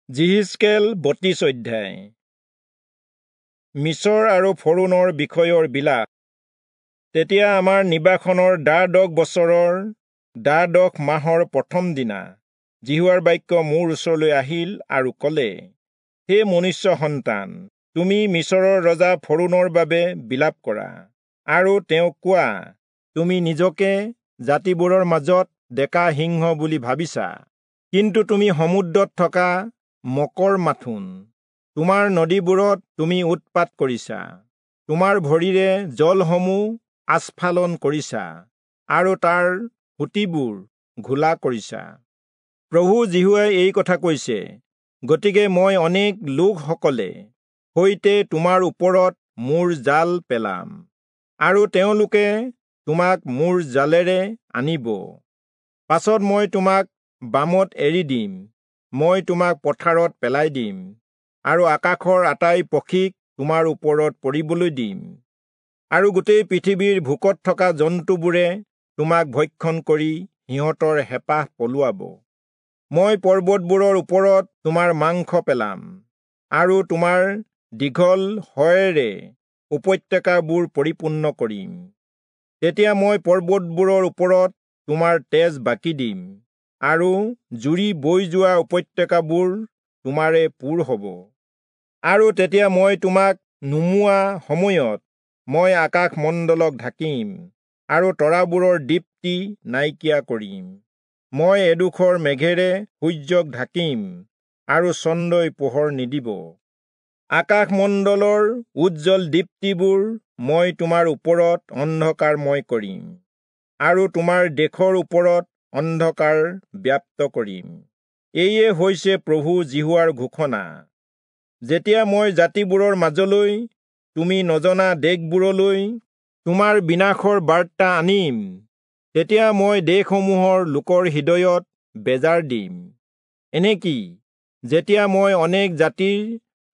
যিহিষ্কেল 32 অধ্যায়। মিচৰ আৰু ফৰোণৰ বিষয়ৰ বিলাপ। তেতিয়া আমাৰ নিবাসনৰ দ্বাদশ বছৰৰ দ্বাদশ মাহৰ প্ৰথম দিনা যিহোৱাৰ বাক্য মোৰ ওচৰলৈ আহিল আৰু ক'লে, হে মনুষ্য সন্তান, তুমি মিচৰৰ ৰজা ফৰোণৰ বাবে বিলাপ কৰা আৰু তেওঁক কোৱা, তুমি নিজকে জাতিবোৰৰ মাজত ডেকা সিংহ বুলি ভাবিছা, কিন্তু তুমি সমুদ্ৰত থকা মকৰ মাথোন। তোমাৰ নদীবোৰত তুমি উৎপাত কৰিছা, তোমাৰ ভৰিৰে জলসমূহ আস্ফালন কৰিছা আৰু তাৰ সুঁতিবোৰ ঘোলা কৰিছা। প্ৰভু যিহোৱাই এই কথা কৈছে, গতিকে মই অনেক লোকসকলে সৈতে তোমাৰ ওপৰত মোৰ জাল পেলাম আৰু তেওঁলোকে তোমাক মোৰ জালেৰে আনিব। পাছত মই তোমাক বামত এৰি দিম, মই তোমাক পথাৰত পেলাই দিম আৰু আকাশৰ আটাই পক্ষীক তোমাৰ ওপৰত পৰিবলৈ দিম, আৰু গোটেই পৃথিৱীৰ ভোকত থকা জন্তুবোৰে তোমাক ভক্ষণ কৰি সিহঁতৰ হেঁপাহ পলুৱাব। মই পৰ্বতবোৰৰ ওপৰত তোমাৰ মাংস পেলাম আৰু তোমাৰ দীঘল শয়েৰে উপত্যকাবোৰ পৰিপূৰ্ণ কৰিম। তেতিয়া মই পৰ্বতবোৰৰ ওপৰত তোমাৰ তেজ বাকি দিম আৰু জুৰি বৈ যোৱা উপত্যকাবোৰ তোমাৰে পূৰ হ'ব। আৰু তেতিয়া মই তোমাক নুমুৱা সময়ত মই আকাশমণ্ডলক ঢাকিম আৰু তৰাবোৰৰ দীপ্তি নাইকিয়া কৰিম। মই এডোখৰ মেঘেৰে সূৰ্যক ঢাকিম আৰু চন্দ্ৰই পোহৰ নিদিব। আকাশমণ্ডলৰ উজ্জ্বল দীপ্তিবোৰ মই তোমাৰ ওপৰত অন্ধকাৰময় কৰিম আৰু তোমাৰ দেশৰ ওপৰত অন্ধকাৰ ব্যাপ্ত কৰিম। এইয়ে হৈছে প্ৰভু যিহোৱাৰ ঘোষণা। যেতিয়া মই জাতিবোৰৰ মাজলৈ, তুমি নজনা দেশবোৰলৈ তোমাৰ বিনাশৰ বাৰ্তা আনিম, তেতিয়া মই দেশসমূহৰ লোকৰ হৃদয়ত বেজাৰ দিম। এনেকি যেতিয়া মই অনেক জাতিৰ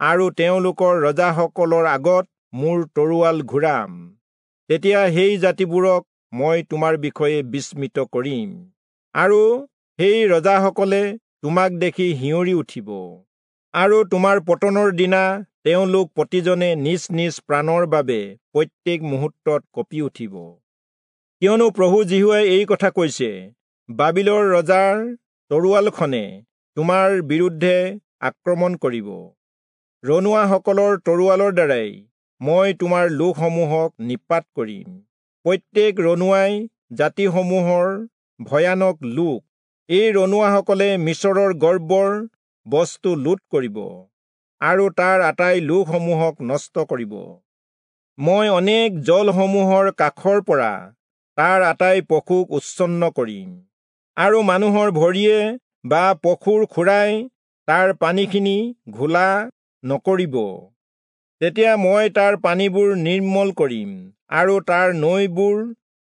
আৰু তেওঁলোকৰ ৰজাসকলৰ আগত মোৰ তৰোৱাল ঘূৰাম, তেতিয়া সেই জাতিবোৰক মই তোমাৰ বিষয়ে বিস্মিত কৰিম আৰু সেই ৰজাসকলে তোমাক দেখি শিঁয়ৰি উঠিব। আৰু তোমাৰ পতনৰ দিনা তেওঁলোক প্ৰতিজনে নিজ নিজ প্ৰাণৰ বাবে প্ৰত্যেক মুহূৰ্তত কঁপি উঠিব। কিয়নো প্ৰভু যিহোৱাই এই কথা কৈছে, বাবিলৰ ৰজাৰ তৰোৱালখনে তোমাৰ বিৰুদ্ধে আক্ৰমণ কৰিব। ৰণুৱাসকলৰ তৰোৱালৰ দ্বাৰাই মই তোমাৰ লোকসমূহক নিপাত কৰিম। প্ৰত্যেক ৰণুৱাই জাতিসমূহৰ ভয়ানক লোক। এই ৰণুৱাসকলে মিচৰৰ গৰ্বৰ বস্তু লুট কৰিব আৰু তাৰ আটাই লোকসমূহক নষ্ট কৰিব। মই অনেক জলসমূহৰ কাষৰ পৰা তাৰ আটাই পশুক উচ্ছন্ন কৰিম আৰু মানুহৰ ভৰিয়ে বা পশুৰ খুৰাই তাৰ পানীখিনি ঘোলা নকৰিব। তেতিয়া মই তাৰ পানীবোৰ নিৰ্মল কৰিম আৰু তাৰ নৈবোৰ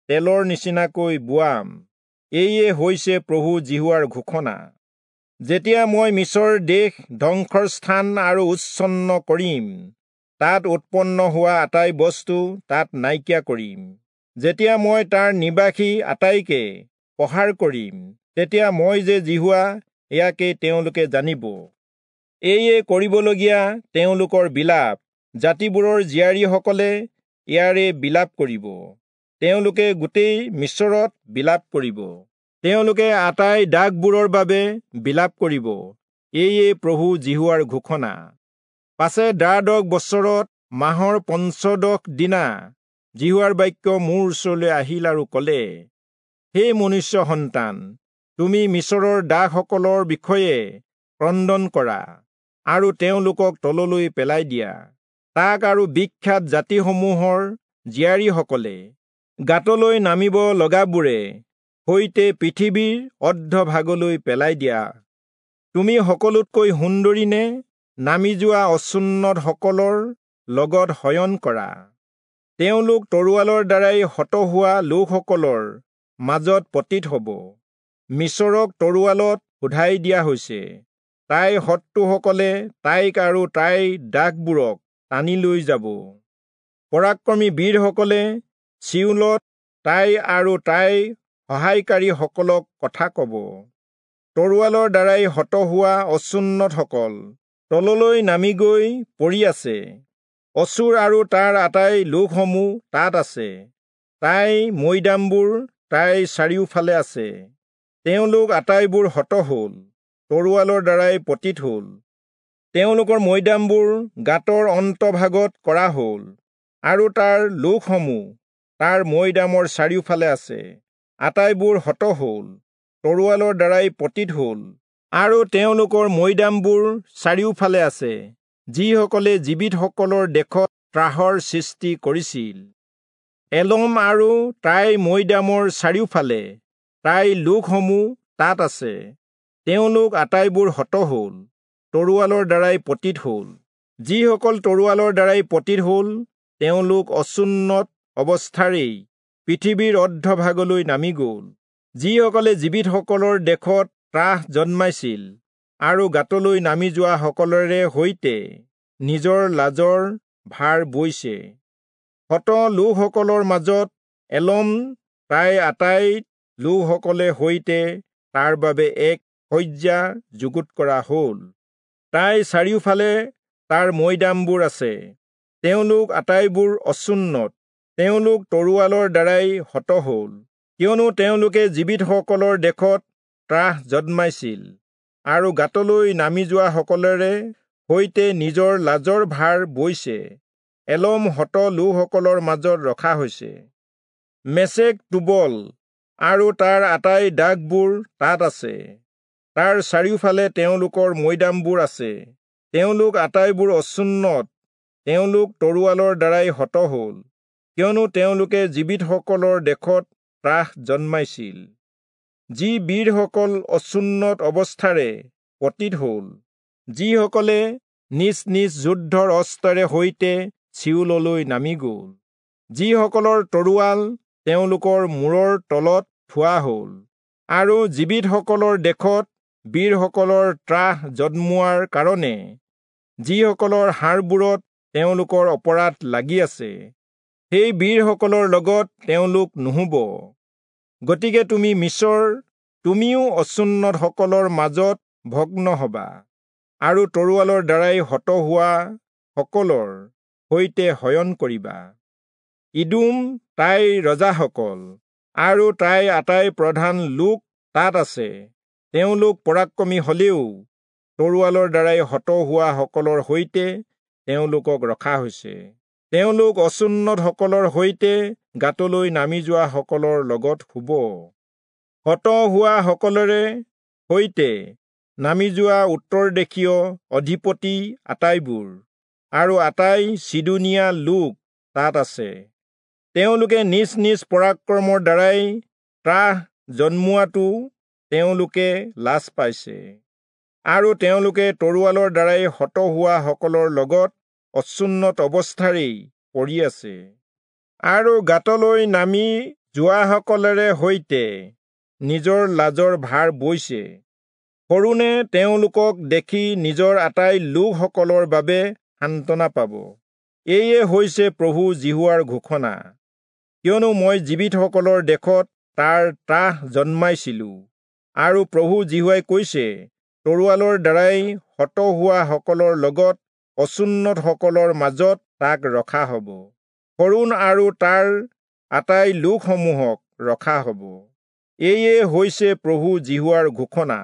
তেলৰ নিচিনাকৈ বোৱাম। এইয়ে হৈছে প্ৰভু যিহোৱাৰ ঘোষণা। যেতিয়া মই মিচৰ দেশ ধ্বংসৰ স্থান আৰু উচ্ছন্ন কৰিম, তাত উৎপন্ন হোৱা আটাই বস্তু তাত নাইকিয়া কৰিম। যেতিয়া মই তাৰ নিবাসী আটাইকে প্ৰহাৰ কৰিম, তেতিয়া মই যে যিহোৱা, ইয়াকে তেওঁলোকে জানিব। এইয়ে কৰিবলগীয়া তেওঁলোকৰ বিলাপ। জাতিবোৰৰ জীয়াৰীসকলে ইয়াৰে বিলাপ কৰিব। তেওঁলোকে গোটেই মিচৰত বিলাপ কৰিব। তেওঁলোকে আটাই দাগবোৰৰ বাবে বিলাপ কৰিব। এইয়ে প্ৰভু যিহোৱাৰ ঘোষণা। পাছে দ্বাদশ বছৰত মাহৰ পঞ্চদশ দিনা যিহোৱাৰ বাক্য মোৰ ওচৰলৈ আহিল আৰু ক'লে, হে মনুষ্য সন্তান, তুমি মিচৰৰ দাসসকলৰ বিষয়ে ক্ৰন্দন কৰা আৰু তেওঁলোকক তললৈ পেলাই দিয়া। তাক আৰু বিখ্যাত জাতিসমূহৰ জীয়াৰীসকলে গাঁতলৈ নামিব লগাবোৰে সৈতে পৃথিৱীৰ অৰ্ধভাগলৈ পেলাই দিয়া। তুমি সকলোতকৈ সুন্দৰী নে? নামি যোৱা অচুন্নতসকলৰ লগত শয়ন কৰা। তেওঁলোক তৰোৱালৰ দ্বাৰাই হত হোৱা লোকসকলৰ মাজত পতিত হ'ব। মিচৰক তৰোৱালত সোধাই দিয়া হৈছে। তাইৰ শত্ৰুসকলে তাইক আৰু তাইৰ দাসবোৰক টানি লৈ যাব। পৰাক্ৰমী বীৰসকলে চিয়োলত তাই আৰু তাইৰ সহায়কাৰীসকলক কথা ক'ব। তৰোৱালৰ দ্বাৰাই হত হোৱা অচুন্নতসকল তললৈ নামি গৈ পৰি আছে। অচূৰ আৰু তাৰ আটাই লোকসমূহ তাত আছে, তাই মৈদামবোৰ তাইৰ চাৰিওফালে আছে। তেওঁলোক আটাইবোৰ হত হ'ল, তৰোৱালৰ দ্বাৰাই পতিত হ'ল। তেওঁলোকৰ মৈদামবোৰ গাঁতৰ অন্তভাগত কৰা হ'ল, আৰু তাৰ লোকসমূহ তাৰ মৈদামৰ চাৰিওফালে আছে। আটাইবোৰ হত হ'ল, তৰোৱালৰ দ্বাৰাই পতিত হ'ল, আৰু তেওঁলোকৰ মৈদামবোৰ চাৰিওফালে আছে, যিসকলে জীৱিতসকলৰ দেশত ত্ৰাসৰ সৃষ্টি কৰিছিল। এলম আৰু তাইৰ মৈদামৰ চাৰিওফালে তাইৰ লোকসমূহ তাত আছে। তেওঁলোক আটাইবোৰ হত হ'ল, তৰোৱালৰ দ্বাৰাই পতিত হ'ল। যিসকল তৰোৱালৰ দ্বাৰাই পতিত হ'ল, তেওঁলোক অচুন্নত অৱস্থাৰেই পৃথিৱীৰ অৰ্ধভাগলৈ নামি গ'ল। যিসকলে জীৱিতসকলৰ দেশত ত্ৰাস জন্মাইছিল আৰু গাঁতলৈ নামি যোৱাসকলৰে সৈতে নিজৰ লাজৰ ভাৰ বৈছে। হত লোকসকলৰ মাজত এলম তাইৰ আটাই লোকসকলে সৈতে তাৰ বাবে এক শয্যা যুগুত কৰা হ'ল। তাইৰ চাৰিওফালে তাৰ মৈদামবোৰ আছে। তেওঁলোক আটাইবোৰ অচুন্নত, তেওঁলোক তৰোৱালৰ দ্বাৰাই হত হ'ল, কিয়নো তেওঁলোকে জীৱিতসকলৰ দেশত ত্ৰাস জন্মাইছিল আৰু গাঁতলৈ নামি যোৱাসকলেৰে সৈতে নিজৰ লাজৰ ভাৰ বৈছে। এলম হত লোকসকলৰ মাজত ৰখা হৈছে। মেচেক তুবল আৰু তাৰ আটাই দাগবোৰ তাত আছে। তাৰ চাৰিওফালে তেওঁলোকৰ মৈদামবোৰ আছে। তেওঁলোক আটাইবোৰ অচুন্নত, তেওঁলোক তৰোৱালৰ দ্বাৰাই হত হ'ল, কিয়নো তেওঁলোকে জীৱিতসকলৰ দেশত ত্ৰাস জন্মাইছিল। যি বীৰসকল অচুন্নত অৱস্থাৰে পতিত হ'ল, যিসকলে নিজ নিজ যুদ্ধৰ অস্ত্ৰেৰে সৈতে চিউললৈ নামি গ'ল, যিসকলৰ তৰোৱাল তেওঁলোকৰ মূৰৰ তলত থোৱা হ'ল, আৰু জীৱিতসকলৰ দেশত বীৰসকলৰ ত্ৰাস জন্মোৱাৰ কাৰণে যিসকলৰ হাড়বোৰত তেওঁলোকৰ অপৰাধ লাগি আছে, সেই বীৰসকলৰ লগত তেওঁলোক নুহুব। গতিকে তুমি মিচৰ, তুমিও অচুন্নতসকলৰ মাজত ভগ্ন হবা, আৰু তৰোৱালৰ দ্বাৰাই হত হোৱা সকলৰ সৈতে শয়ন কৰিবা। ইদোম তাইৰ ৰজাসকল আৰু তাইৰ আটাই প্ৰধান লোক তাত আছে। তেওঁলোক পৰাক্ৰমী হলেও তৰোৱালৰ দ্বাৰাই হত হোৱা সকলৰ সৈতে তেওঁলোকক ৰখা হৈছে। তেওঁলোক অচুন্নতসকলৰ সৈতে গাঁতলৈ নামি যোৱা সকলৰ লগত শুব। হত হোৱা সকলৰে সৈতে নামি যোৱা উত্তৰ দেশীয় অধিপতি আটাইবোৰ আৰু আটাই চিদোনীয়া লোক তাত আছে। তেওঁলোকে নিজ নিজ পৰাক্ৰমৰ দ্বাৰাই ত্ৰাস জন্মোৱাটো তেওঁলোকে লাজ পাইছে, আৰু তেওঁলোকে তৰোৱালৰ দ্বাৰাই হত হোৱা সকলৰ লগত অচুন্নত অৱস্থাৰেই পৰি আছে, আৰু গাঁতলৈ নামি যোৱাসকলেৰে সৈতে নিজৰ লাজৰ ভাৰ বৈছে। ফৰোণে তেওঁলোকক দেখি নিজৰ আটাই লোকসকলৰ বাবে সান্তনা পাব। এয়ে হৈছে প্ৰভু যিহোৱাৰ ঘোষণা, কিয়নো মই জীৱিতসকলৰ দেশত তাৰ ত্ৰাস জন্মাইছিলো। আৰু প্ৰভু যিহোৱাই কৈছে, তৰোৱালৰ দ্বাৰাই হত হোৱা সকলৰ লগত অচুন্নতসকলৰ মাজত তাক ৰখা হ'ব। ফৰোণ আৰু তাৰ আটাই লোকসমূহক ৰখা হ'ব। এয়ে হৈছে প্ৰভু যিহোৱাৰ ঘোষণা।